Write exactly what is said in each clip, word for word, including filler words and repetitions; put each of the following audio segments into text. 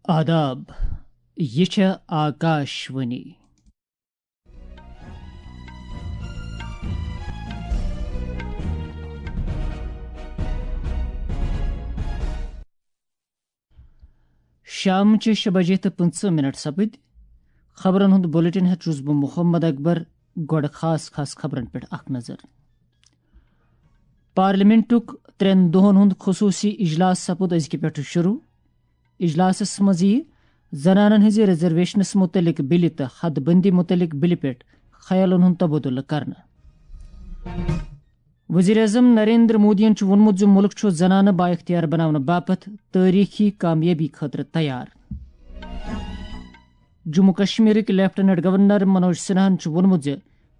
آداب، یہِ چھےٚ آکاش وانی۔ شامچہِ شےٚ بجے تہٕ پٕنٛژٕہ منٹ سپٕدۍ۔ خبرن ہُنٛد بلیٹن ہٮ۪تھ چھُس بہٕ محمد اکبر۔ گۄڈٕ خاص خاص خبرن پٮ۪ٹھ اکھ نظر۔ پارلیمنٹُک ترٛٮ۪ن دۄہن ہُنٛد خصوٗصی اجلاس سپُد أزکہِ پٮ۪ٹھٕ شروع۔ اجلاسس منٛز یِیہِ زنانن ہٕنٛزِ ریزرویشنس مُتعلق بِلہِ تہٕ حد بندی مُتعلق بِلہِ پٮ۪ٹھ خیالن ہُنٛد تبادلہٕ کرنہٕ۔ وزیر اعظم نریندر مودیَن چھُ ووٚنمُت زِ مُلک چھُ زنانہٕ بااختیار بناونہٕ باپتھ تٲریخی کامیٲبی خٲطرٕ تیار۔ جموں کشمیرٕکۍ لیفٹیننٹ گورنر منوج سنہاہن چھُ ووٚنمُت زِ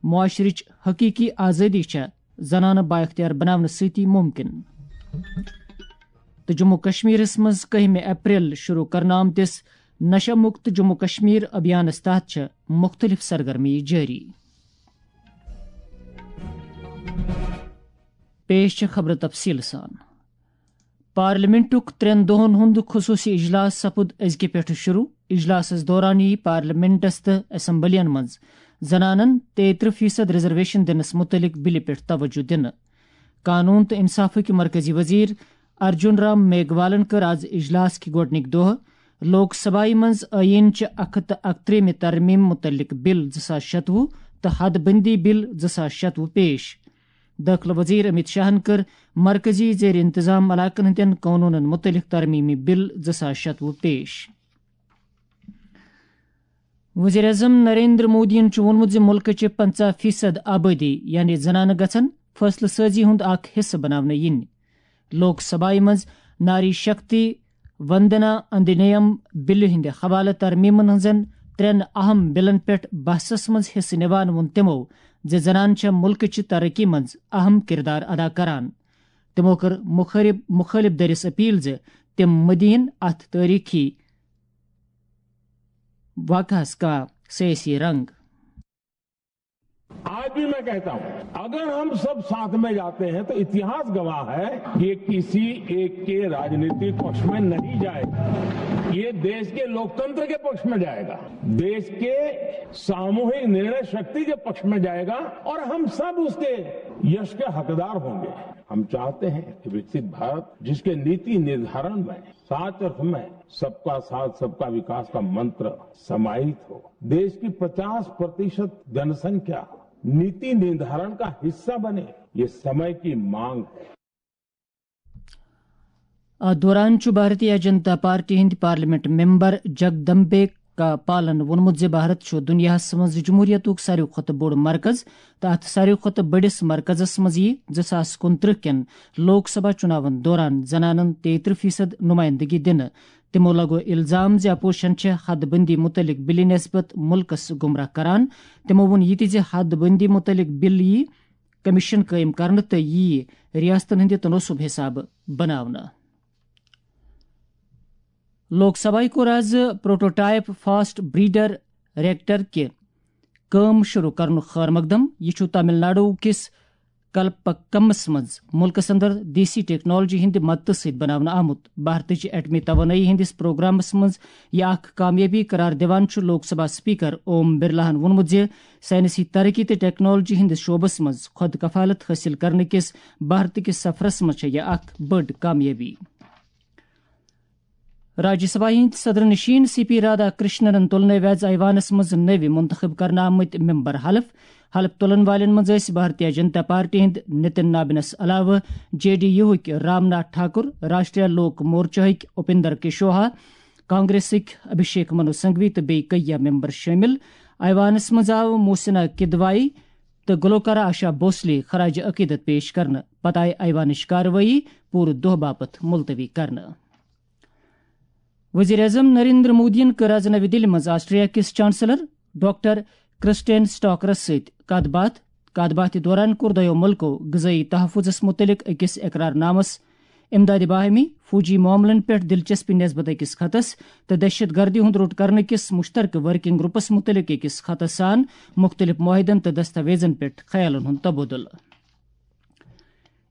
معاشرٕچ حقیقی آزٲدی چھےٚ زنانہٕ بااختیار بناونہٕ سۭتی ممکن۔ تہٕ جموں کشمیرس منٛز کٔہمہِ اپریل شروع کرنہٕ آمتِس نشہ مکت جموں کشمیر ابھیانس تحت چھےٚ مختلف سرگرمی جٲری۔ پیش چھےٚ خبرٕ تفصیٖل سان۔ پارلیمنٹُک ترٛٮ۪ن دۄہن ہُنٛد خصوٗصی اجلاس سپُد أزکہِ پٮ۪ٹھٕ شروع۔ اجلاسس دوران یِیہِ پارلیمنٹس تہٕ اسمبلین منٛز زنانن تیٚیہِ ترٕٛہ فیصد ریزرویشن دِنس مُتعلق بِلہِ پٮ۪ٹھ توجہ دِنہٕ۔ قانون تہٕ انصافٕکۍ مرکزی وزیر ارجن رام میگھوالن کٔر از اجلاس کہِ گۄڈٕنِکۍ دۄہ لوک سبھایہِ منٛز ٲییٖن چہِ اکھ ہتھ تہٕ اکترٛہمہِ ترمیٖم مُتعلق بِل زٕ ساس شتوُہ تہٕ حد بندی بِل زٕ ساس شتوُہ پیش۔ دٲخلہٕ وزیر امیت شاہن کٔر مرکزی زیر انتظام علاقن ہٕنٛدٮ۪ن قونوٗنن مُتعلق ترمیٖمی بِل زٕ ساس شتوُہ پیش۔ وزیر اعظم نریندر مودیَن چھُ ووٚنمُت زِ مُلکٕچہِ پنٛژاہ فیصد آبٲدی، یعنی زنانہٕ، گژھن فٲصلہٕ سٲزی ہُنٛد اکھ حصہٕ بناونہٕ یِنۍ۔ لوک سبھایہِ منٛز ناری شکتی وندنا ادھینیم بلہِ ہٕنٛدِ حوالہٕ ترمیٖمن ہٕنٛزن ترٛٮ۪ن اہم بلن پٮ۪ٹھ بحثس منٛز حصہٕ نِوان ووٚن تِمو زِ زنانہٕ چھےٚ مُلکٕچہِ ترقی منٛز اہم کردار ادا کران۔ تِمو کٔر مخٲرب-، مُخٲلف دٔرِس اپیل زِ تِم مٔدیٖن اتھ تٲریخی واقعس کانٛہہ سیٲسی رنگ۔ आज भी मैं कहता हूं, अगर हम सब साथ में जाते हैं तो इतिहास गवाह है कि किसी एक के राजनीतिक पक्ष में नहीं जाएगा, ये देश के लोकतंत्र के पक्ष में जाएगा, देश के सामूहिक निर्णय शक्ति के पक्ष में जाएगा और हम सब उसके यश के हकदार होंगे। हम चाहते हैं कि विकसित भारत जिसके नीति निर्धारण में साच अर्थ में सबका साथ, सबका विकास का मंत्र समाहित हो, देश की पचास प्रतिशत जनसंख्या नीति निर्धारण का हिस्सा बने, ये समय की मांग है। اتھ دوران چھُ بھارتیہ جنتا پارٹی ہٕنٛدۍ پارلیمنٹ ممبر جگدمبے کا پالن ووٚنمُت زِ بھارت چھُ دُنیاہَس منٛز جمہوریتُک ساروی کھۄتہٕ بوٚڑ مرکز تہٕ اتھ ساروی کھۄتہٕ بٔڑِس مرکزَس منٛز یِیہِ زٕ ساس کُنترٕہ کٮ۪ن لوک سبھا چُناون دوران زنانن تیٚیہِ ترٕٛہ فیصد نمائندگی دِنہٕ۔ تِمو لگوو الزام زِ اپوزیشن چھےٚ حد بندی مُتعلق بلہِ نسبت مُلکَس گمراہ کران۔ تِمو ووٚن یہِ تہِ زِ حد بندی مُتعلق بل یِیہِ کمیشن قٲیِم کرنہٕ تہٕ یِیہِ ریاستن ہٕنٛدِ تناسب حسابہٕ بناونہٕ۔ لوک سبھایہِ کوٚر از پروٹوٹائپ فاسٹ بریڈر ریکٹر کہِ کٲم شروع کرنُک خٲر مقدم۔ یہِ چھُ تامل ناڈو کِس کلپکمس منٛز مُلکس اندر دیسی ٹیکنالوجی ہٕنٛدِ مدتہٕ سۭتۍ بناونہٕ آمُت۔ بھارتٕچ ایٹمی توانٲیی ہٕنٛدِس پروگرامس منٛز یہِ اکھ کامیٲبی قرار دِوان چھُ لوک سبھا اسپیکر اوم برلاہن ووٚنمُت زِ سائنسی ترقی تہٕ ٹیکنالوجی ہٕنٛدِس شعبس منٛز خود کفالت حٲصِل کرنہٕ کِس بھارت کِس سفرس منٛز چھےٚ یہِ اکھ بٔڑ کامیٲبی۔ راجیہ سبھا ہٕنٛدۍ صدر نشین سی پی رادھا کرشننن تُل نٔوۍ ویز ایوانس منٛز نٔوۍ منتخب کرنہٕ آمٕتۍ ممبر حلف۔ حلف تُلن والٮ۪ن منٛز ٲسۍ بھارتیہ جنتا پارٹی ہٕنٛدۍ نتن نابنس علاوٕ جے ڈی یوہٕکۍ رام ناتھ ٹھاکر، راشٹریہ لوک مورچاہٕکۍ اپندر کشواہا، کانگریسٕکۍ ابھیشیک منو سنگھوی تہٕ بیٚیہِ کیٚنٛہہ ممبر شٲمِل۔ ایوانس منٛز آو محسنہ کدوایی تہٕ گلوکارہ آشا بھوسلے خراج عقیدت پیش کرنہٕ۔ پتہٕ آیہِ ایوانٕچ کاروٲیی پوٗرٕ دۄہ باپتھ ملتوی کرنہٕ۔ وزیر اعظم نریندر مودیَن کٔر از نَوِ دِلہِ منٛز آسٹریا کِس چانسلر ڈاکٹر کرسٹین سٹاکرَس سۭتۍ کَتھ باتھ۔ کَتھ باتھِ دوران کوٚر دۄیو مُلکو غذٲیی تحفظَس مُتعلِق أکِس اقرار نامَس، امدادِ باہمی، فوجی معاملن پٮ۪ٹھ دلچسپی نسبت أکِس خطس تہٕ دہشت گردی ہُنٛد روٚٹ کرنہٕ کِس مشترکہٕ ورکنگ گروپَس مُتعلِق أکِس خطس سان مُختٔلِف معاہدن تہٕ دستاویزن پٮ۪ٹھ خیالن ہُنٛد تبادلہٕ۔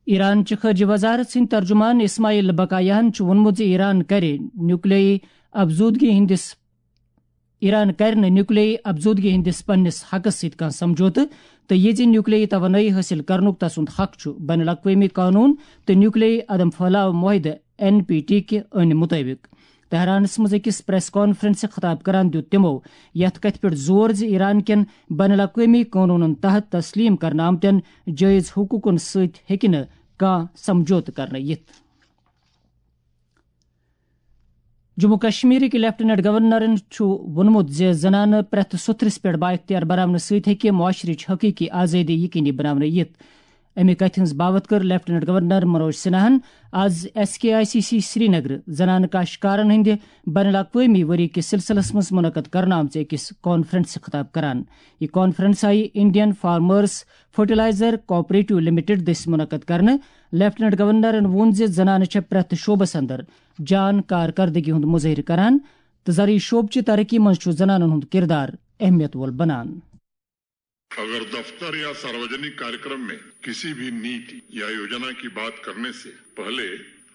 ایران چہِ خارجہ وزارت سٕنٛدۍ ترجمان اسماعیل بقایاہن چھُ ووٚنمُت زِ ایران کرِ نیوکلیائی افزودگی ہندس ایران کرِ نہٕ نیوکلیائی افزودگی ہندس پننس حقس سۭتۍ کانٛہہ سمجھوتہٕ، تہٕ یہِ زِ نیوکلیائی توانٲیی حٲصِل کرنُک تسُنٛد حق چھُ بین الاقوٲمی قونوٗن تہٕ نیوکلیائی عدم پھٲلاو معاہدٕ، این پی ٹی، کہِ أنۍ مُطٲبِق۔ تہرانس منٛز أکِس پریس کانفرنسہِ خطاب کران دیُت تِمو یتھ کتھِ پٮ۪ٹھ زور زِ ایران کٮ۪ن بین الاقوٲمی قونوٗنن تحت تسلیم کرنہٕ آمتٮ۪ن جٲیز حقوٗقن سۭتۍ ہیٚکہِ نہٕ کانٛہہ سمجھوتہٕ کرنہٕ یِتھ۔ جموں کشمیرٕکۍ لیفٹیننٹ گورنرن چھُ ووٚنمُت زِ زنانہٕ پرٛٮ۪تھ سوٚتھرِس پٮ۪ٹھ بااختیار بناونہٕ سۭتۍ ہیٚکہِ معاشرٕچ حقیقی آزٲدی یقینی بناونہٕ یِتھ۔ اَمہِ کتھِ ہٕنٛز باوتھ کٔر لیفٹیننٹ گورنر منوج سنہاہن آز S K I C C Srinagar زنانہٕ کاشتکارن ہٕنٛدِ بین الاقوٲمی ؤری کِس سلسلس منٛز منعقد کرنہٕ آمژِ أکِس کانفرنسہِ خطاب کران۔ یہِ کانفرنس آیہِ Indian farmers fertiliser cooperative limited دٔسۍ منعقد کرنہٕ۔ لیفٹیننٹ گورنرن ووٚن زِ زنانہٕ چھےٚ پرٛٮ۪تھ شعبس اندر جان کارکردگی ہُنٛد مظٲہرٕ کران تہٕ زرعی شعبہٕ چہِ ترقی منٛز چھُ زنانن ہُنٛد کردار اہمیت وول بنان۔ अगर दफ्तर या सार्वजनिक कार्यक्रम में किसी भी नीति या योजना की बात करने से पहले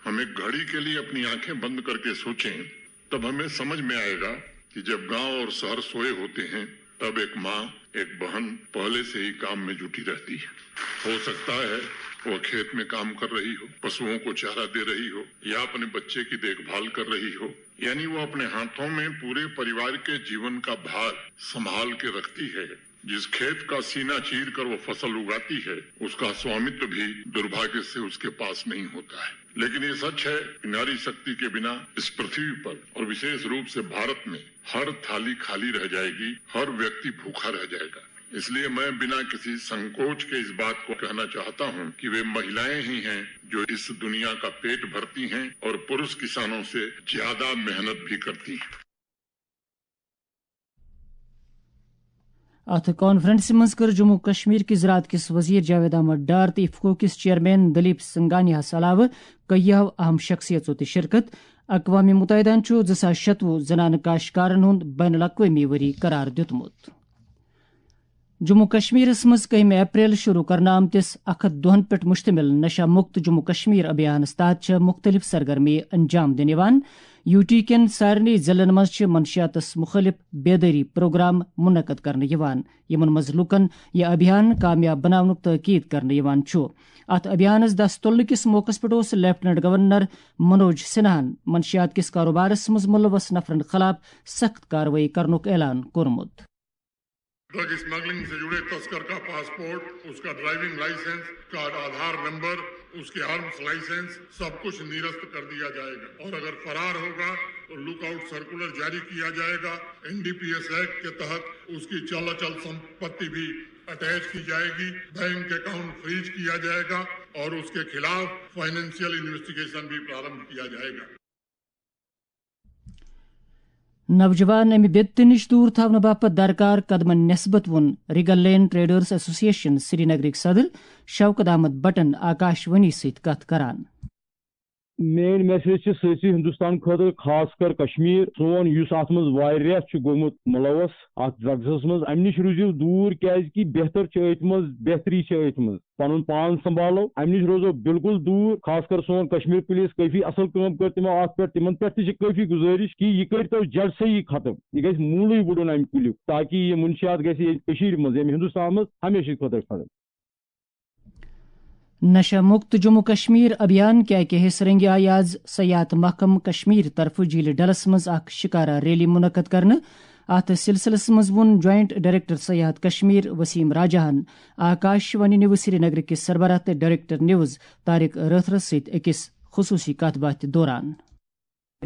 हम एक घड़ी के लिए अपनी आंखें बंद करके सोचें, तब हमें समझ में आएगा कि जब गांव और शहर सोए होते हैं, तब एक माँ, एक बहन पहले से ही काम में जुटी रहती है। हो सकता है वह खेत में काम कर रही हो, पशुओं को चारा दे रही हो या अपने बच्चे की देखभाल कर रही हो, यानी वो अपने हाथों में पूरे परिवार के जीवन का भार संभाल के रखती है। जिस खेत का सीना चीर कर वो फसल उगाती है, उसका स्वामित्व भी दुर्भाग्य से उसके पास नहीं होता है। लेकिन ये सच है कि नारी शक्ति के बिना इस पृथ्वी पर और विशेष रूप से भारत में हर थाली खाली रह जाएगी, हर व्यक्ति भूखा रह जाएगा। इसलिए मैं बिना किसी संकोच के इस बात को कहना चाहता हूं कि वे महिलाएं ही हैं जो इस दुनिया का पेट भरती हैं और पुरुष किसानों से ज्यादा मेहनत भी करती हैं। اتھ کانفرنسہِ منٛز کٔر جموں کشمیر کِس زراعت کِس وزیر جاوید احمد ڈار تہٕ افکو کِس چیئرمین دلیپ سنگھانیاہس علاوٕ کیٚیو اہم شخصیژو تہِ شرکت۔ اقوام متحدہن چھُ زٕ ساس شتوُہ زنانہٕ کاشتکارن ہُنٛد بین الاقوٲمی ؤری قرار دیُتمُت۔ جموں کشمیرس منٛز کٔہمہِ اپریل شروع کرنہٕ آمتِس اکھ ہتھ دۄہن پٮ۪ٹھ مشتمل نشہ مکت جموں کشمیر ابھیانس تحت چھےٚ مختلف سرگرمی انجام دِنہٕ یِوان۔ یو ٹی کٮ۪ن سارنٕے ضلعن منٛز چھِ منشیاتس مُخٲلف بیدٲری پروگرام منعقد کرنہٕ یِوان، یِمن منٛز لوٗکن یہِ ابھیان کامیاب بناونُک تٲکید کرنہٕ یِوان چھُ۔ اتھ ابھیانس دست تُلنہٕ کِس موقعس پٮ۪ٹھ اوس لیفٹیننٹ گورنر منوج سنہاہن منشیات کِس کاروبارس منٛز ملوث نفرن خلاف سخت کاروٲیی کرنُک اعلان کوٚرمُت۔ ड्रग स्मगलिंग से जुड़े तस्कर का पासपोर्ट, उसका ड्राइविंग लाइसेंस, उसका आधार नंबर, उसके आर्म्स लाइसेंस, सब कुछ निरस्त कर दिया जाएगा और अगर फरार होगा तो लुकआउट सर्कुलर जारी किया जाएगा। एनडीपीएस एक्ट के तहत उसकी चल अचल संपत्ति भी अटैच की जाएगी, बैंक अकाउंट फ्रीज किया जाएगा और उसके खिलाफ फाइनेंशियल इन्वेस्टिगेशन भी प्रारंभ किया जाएगा। نوجوان امہِ بدعتہٕ نِش دوٗر تھاونہٕ باپتھ درکار قدمن نسبت ووٚن ریگل لین ٹریڈرز ایسوسیشن سرینگرٕکۍ صدر شوکت احمد بٹن آکاش وانی سۭتۍ کتھ کران۔ میٲنۍ میسیج چھِ سٲرسٕے ہندوستان خٲطرٕ، خاص کر کشمیر۔ سون یُس اتھ منٛز واریاہ چھُ گوٚمُت ملوث اتھ ڈرگسس منٛز، امہِ نِش روٗزِو دوٗر، کیازِ کہِ بہتر چھِ أتھۍ منٛز، بہتری چھِ أتھۍ منٛز۔ پنُن پان سنبھالو، امہِ نِش روزو بالکل دوٗر۔ خاص کر سون کشمیر پولیس کٲفی اصل کٲم کٔر تِمو اتھ پٮ۪ٹھ، تِمن پٮ۪ٹھ تہِ چھِ کٲفی گُزٲرِش کہِ یہِ کٔرۍتو جڑ سے ہی ختم، یہِ گژھِ موٗلٕے وُڑُن امہِ کُلیُک، تاکہِ یہِ منشیات گژھِ ییٚتہِ کٔشیٖرِ منٛز، ییٚمہِ ہندوستان منٛز ہمیشہٕ خٲطرٕ ختم۔ نشہ مکت جموں کشمیر ابھیان کہِ اکہِ حصہٕ رنگہِ آیہِ آز سیاحت محکمہٕ کشمیر طرفہٕ جھیل ڈلس منٛز اکھ شکارا ریلی منعقد کرنہٕ۔ اتھ سلسلس منٛز ووٚن جوائنٹ ڈائریکٹر سیاحت کشمیر وسیم راجہ ہن آکاش وانی نیوز سرینگر کِس سربراہ تہٕ ڈائریکٹر نیوز طارق رٲتھرس سۭتۍ أکِس خصوٗصی کتھ باتھِ دوران۔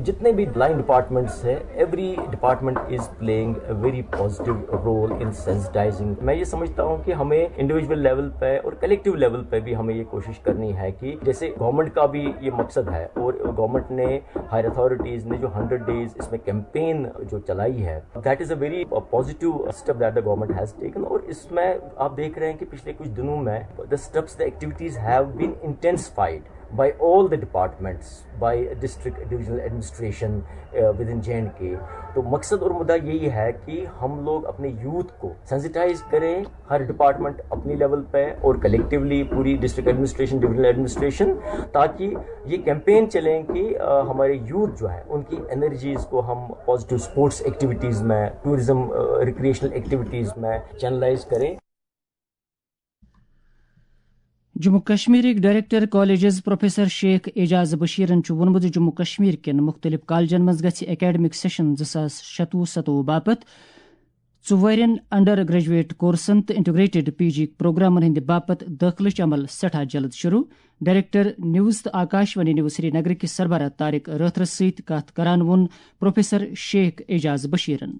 جتنے بھی لائن ڈپارٹمنٹس ہیں، every department is playing a very positive role in sensitizing. میں یہ سمجھتا ہوں کہ ہمیں انڈیویجول لیول پہ اور کلیکٹیو لیول پہ بھی ہمیں یہ کوشش کرنی ہے کہ جیسے گورنمنٹ کا بھی یہ مقصد ہے اور گورنمنٹ نے، ہائر اتھارٹیز نے جو ہنڈریڈ ڈیز اس میں کیمپین جو چلائی ہے، that is a very positive step that the government has taken. اور اس میں آپ دیکھ رہے ہیں کہ پچھلے کچھ دنوں میں the steps, the activities have been intensified. By all the departments, by district divisional administration, uh, within J and K. تو مقصد اور مدعا یہی ہے کہ ہم لوگ اپنے یوتھ کو سینسٹائز کریں، ہر ڈپارٹمنٹ اپنی لیول پہ اور کلیکٹیولی پوری ڈسٹرکٹ ایڈمنسٹریشن، ڈویژنل ایڈمنسٹریشن، تاکہ یہ کیمپین چلیں کہ ہمارے یوتھ جو ہے ان کی انرجیز کو ہم پازیٹیو اسپورٹس ایکٹیویٹیز میں، ٹورزم، ریکریشنل ایکٹیویٹیز میں چینلائز کریں۔ جموں کشمیرٕکۍ director colleges professor Sheikh Ejaz بشیرن چھُ ووٚنمُت زِ جموں کشمیر کٮ۪ن مُختٔلِف کالجن منٛز گژھِ اکیڈمک سیشن زٕ ساس شتوُہ ستوُہ باپتھ ژُوہرٮ۪ن انڈر گریجویٹ کورسن تہٕ انٹیگریٹڈ پی جی پروگرامن ہٕنٛدِ باپتھ دٲخلٕچ عمل سٮ۪ٹھاہ جلد شروع۔ ڈائریکٹر نیوز تہٕ آکاش وانی نیوز سری نگر کِس سربراہ طارق رٲتھرس سۭتۍ کتھ کران ووٚن پروفیسر شیخ اعجاز بشیرن۔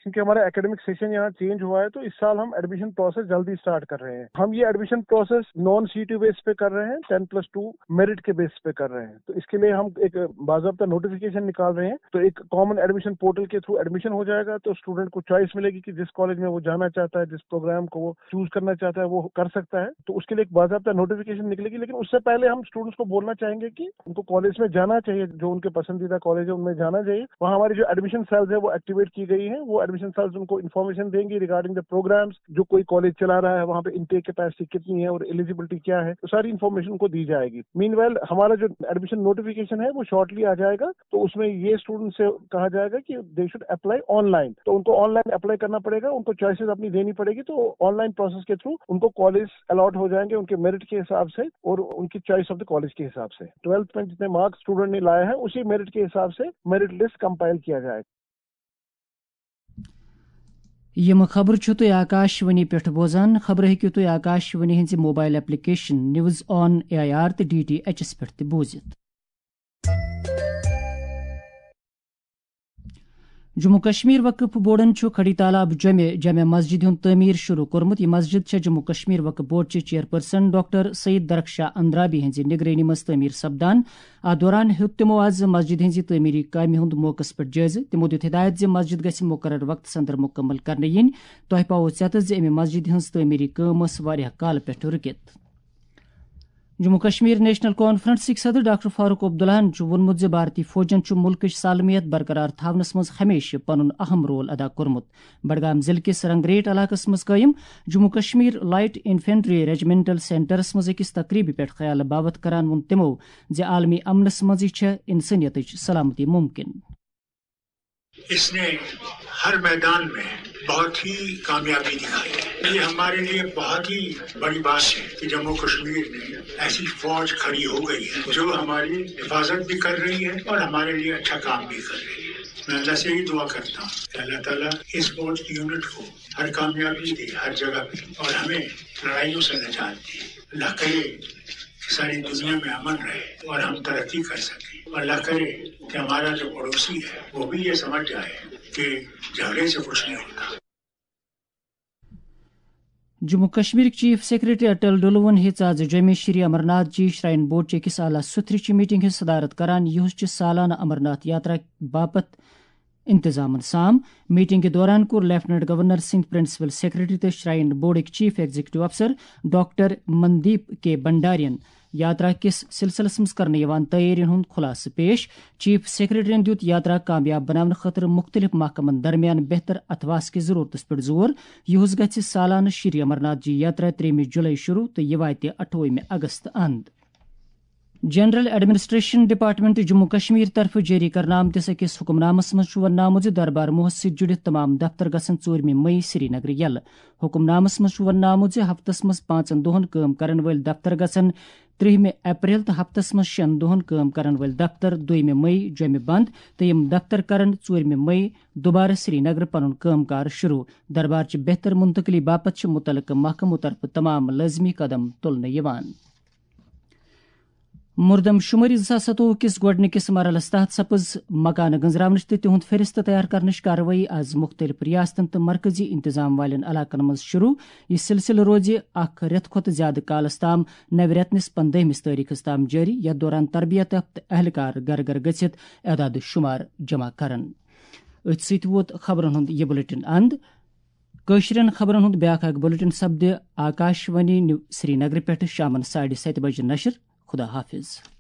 کیونکہ ہمارا اکیڈمک سیشن یہاں چینج ہوا ہے، تو اس سال ہم ایڈمیشن پروسیس جلدی اسٹارٹ کر رہے ہیں۔ ہم یہ ایڈمیشن پروسیس نان سی ٹی بیس پہ کر رہے ہیں، ٹین پلس ٹو میرٹ کے بیس پہ کر رہے ہیں۔ تو اس کے لیے ہم ایک باضابطہ نوٹیفکیشن نکال رہے ہیں۔ تو ایک کامن ایڈمیشن پورٹل کے تھرو ایڈمیشن ہو جائے گا، تو اسٹوڈنٹ کو چوائس ملے گی کہ جس کالج میں وہ جانا چاہتا ہے، جس پروگرام کو وہ چوز کرنا چاہتا ہے، وہ کر سکتا ہے۔ تو اس کے لیے ایک باضابطہ نوٹیفکیشن نکلے گی، لیکن اس سے پہلے ہم اسٹوڈنٹس کو بولنا چاہیں گے کہ ان کو کالج میں جانا چاہیے، جو ان کے پسندیدہ کالج ہے ان میں جانا چاہیے۔ وہاں ہماری جو ایڈمیشن سیلز ہے وہ ایکٹیویٹ کی گئی ہیں، وہ ایڈمیشن سیلز ان کو انفارمیشن دیں گی ریگارڈنگ دا پروگرامز، جو کوئی کالج چلا رہا ہے وہاں پہ انٹیک کیپیسٹی کتنی ہے اور ایلیجیبلٹی کیا ہے، وہ ساری انفارمیشن ان کو دی جائے گی۔ مین وائل ہمارا جو ایڈمیشن نوٹیفکیشن ہے وہ شارٹلی آ جائے گا، تو اس میں یہ اسٹوڈنٹ سے کہا جائے گا کہ they should apply online, تو ان کو آن لائن اپلائی کرنا پڑے گا، ان کو چوائسیز اپنی دینی پڑے گی۔ تو آن لائن پروسیس کے تھرو ان کو کالج الاٹ ہو جائیں گے ان کے میرٹ کے حساب سے اور ان کی چوائس آف دا کالج کے حساب سے۔ ٹویلتھ میں جتنے مارکس اسٹوڈنٹ نے لائے ہیں اسی میرٹ کے حساب سے میرٹ لسٹ کمپائل کیا جائے گا۔ یِم خبرٕ چھِو تُہۍ آکاش وانی پٮ۪ٹھ بوزان۔ خبرٕ ہیٚکِو تُہۍ آکاش وانی ہٕنٛزِ mobile application news on A I R تہٕ ڈی ٹی ایچ ایس پٮ۪ٹھ تہِ بوٗزِتھ۔ جموں کشمیر وقف بورڈن چھُ کھڑی تالاب جومہِ جامع مسجد ہُنٛد تعمیٖر شروع کوٚرمُت۔ یہِ مسجد چھےٚ جموں کشمیر وقف بورڈ چہِ چیئرپرسن ڈاکٹر سعید درخشاہ اندرابی ہٕنٛزِ نگرٲنی منٛز تعمیٖر سپدان۔ اتھ دوران ہیوٚت تِمو آز مسجد ہٕنٛزِ تعمیٖری کامہِ ہُنٛد موقعس پٮ۪ٹھ جٲیزٕ۔ تِمو دیُت ہدایت زِ مسجد گژھِ مقرر وقتس اندر مکمل کرنہٕ یِنۍ۔ تۄہہِ پاوو ژٮ۪تس زِ امہِ مسجد ہٕنٛز تعمیٖری کٲم ٲس واریاہ کالہٕ پٮ۪ٹھ رُکِتھ۔ جموں کشمیر نیشنل کانفرنسٕکۍ صدر ڈاکٹر فاروق عبداللہن چھُ ووٚنمُت زِ بھارتی فوجن چھُ مُلکٕچ سالمیت برقرار تھاونس منٛز ہمیشہِ پنُن اہم رول ادا کوٚرمُت۔ بڈگام ضلعہٕ کِس رنگریٹ علاقس منٛز قٲیِم جموں کشمیر لائٹ انفنٹری ریجمنٹل سینٹرس منٛز أکِس تقریبہِ پٮ۪ٹھ خیال باوتھ کران ووٚن تِمو زِ عالمی امنس منٛزٕے چھےٚ انسٲنیتٕچ سلامتی ممکن۔ اس نے ہر میدان میں بہت ہی کامیابی دکھائی ہے۔ یہ ہمارے لیے بہت ہی بڑی بات ہے کہ جموں کشمیر میں ایسی فوج کھڑی ہو گئی ہے جو ہماری حفاظت بھی کر رہی ہے اور ہمارے لیے اچھا کام بھی کر رہی ہے۔ میں اللہ سے یہی دعا کرتا ہوں کہ اللہ تعالیٰ اس فوج کی یونٹ کو ہر کامیابی دے، ہر جگہ پہ، اور ہمیں لڑائیوں سے نجات دے۔ اللہ کرے کہ ساری دنیا میں امن رہے اور ہم ترقی کر سکیں۔ اللہ کرے کہ ہمارا جو پڑوسی ہے وہ بھی یہ سمجھ جائے کہ جھگڑے سے کچھ نہیں ہوتا۔ جموں کشمیرٕکۍ چیف سیکرٹری اٹل ڈلوَن ہیٚژ آز جوٚمہِ شری امرناتھ جی شراین بورڈ چہِ أکِس اعلیٰ سُتھرٕ چہِ میٹنگ ہٕنٛز صدارت کران، یُس چھِ سالانہٕ امرناتھ یاترا باپتھ انتظامن سام۔ میٹنگ دوران کوٚر لیفٹیننٹ گورنر سٕنٛدۍ پرنسپل سیکرٹری تہٕ شراین بورڈٕکۍ چیف ایگزیکٹو افسر ڈاکٹر مندیپ کے بنڈارین یاترا کِس سلسلس منٛز کرنہٕ یِوان تیٲرین ہُنٛد خلاصہٕ پیش۔ چیف سیکرٹریَن دِیُت یاترا کامیاب بناونہٕ خٲطرٕ مُختٔلِف محکمن درمیان بہتر اتھواس کِس ضروٗرتس پٮ۪ٹھ زور۔ یُہُس گژھِ سالانہٕ شری امرناتھ جی یاترا ترٛیٚیِمہِ جُلای شروٗع تہٕ یہِ واتہِ اَٹھووُہمہِ اگست اند۔ General administration department Jammu Kashmir طرفہٕ جٲری کرنہٕ آمتِس أکِس حکم نامس منٛز چھُ وننہٕ آمُت زِ دربار موہس سۭتۍ جُڑِتھ تمام دفتر گژھن ژوٗرمہِ مئی سری نگرٕ یلہٕ۔ حکم نامس منٛز چھُ وننہٕ آمُت زِ ہفتس منٛز پانٛژن دۄہن کٲم کرن وٲلۍ دفتر گژھن ترٛہمہِ اپریل تہٕ ہفتس منٛز شٮ۪ن دۄہن کٲم کرن وٲلۍ دفتر دویمہِ مئی جوٚمہِ بند، تہٕ یِم دفتر کرن ژوٗرمہِ مئی دوبارٕ سری نگرٕ پنُن کٲم کار شروع۔ دربار چہِ بہتر منتقلی باپتھ چھِ مُتعلقہٕ محکمو طرفہٕ تمام لٲزمی قدم تُلنہٕ یِوان۔ مردم شمٲری زٕ ساس ستووُہ کِس گۄڈٕنِکِس مرحلَس تحت سپٕز مکانہٕ گنزراونٕچ تہٕ تِہُنٛد فہرست تیار کرنٕچ کاروٲیی آز مُختٔلِف ریاستن تہٕ مرکزی انتظام والٮ۪ن علاقن منٛز شروع۔ یہِ سلسلہٕ روزِ اکھ رٮ۪تھ کھۄتہٕ زِیٛادٕ کالَس تام، نوِ رٮ۪تہٕ نِس پندٲہمِس تٲریخَس تام جٲری، یَتھ دوران تربیت یافتہٕ اہلکار گرٕ گرٕ گٔژھِتھ اعداد شمار جمع کرن۔ أتھۍ سۭتۍ ووت خبرن ہُنٛد یہِ بلیٹن اند۔ کٲشرٮ۪ن خبرن ہُنٛد بیٛاکھ اکھ بلیٹن سپدِ آکاش وانی نیو-، سرینگرٕ پٮ۪ٹھٕ شامن ساڑِ ستہِ بجہِ نشر۔ خدا حافظ۔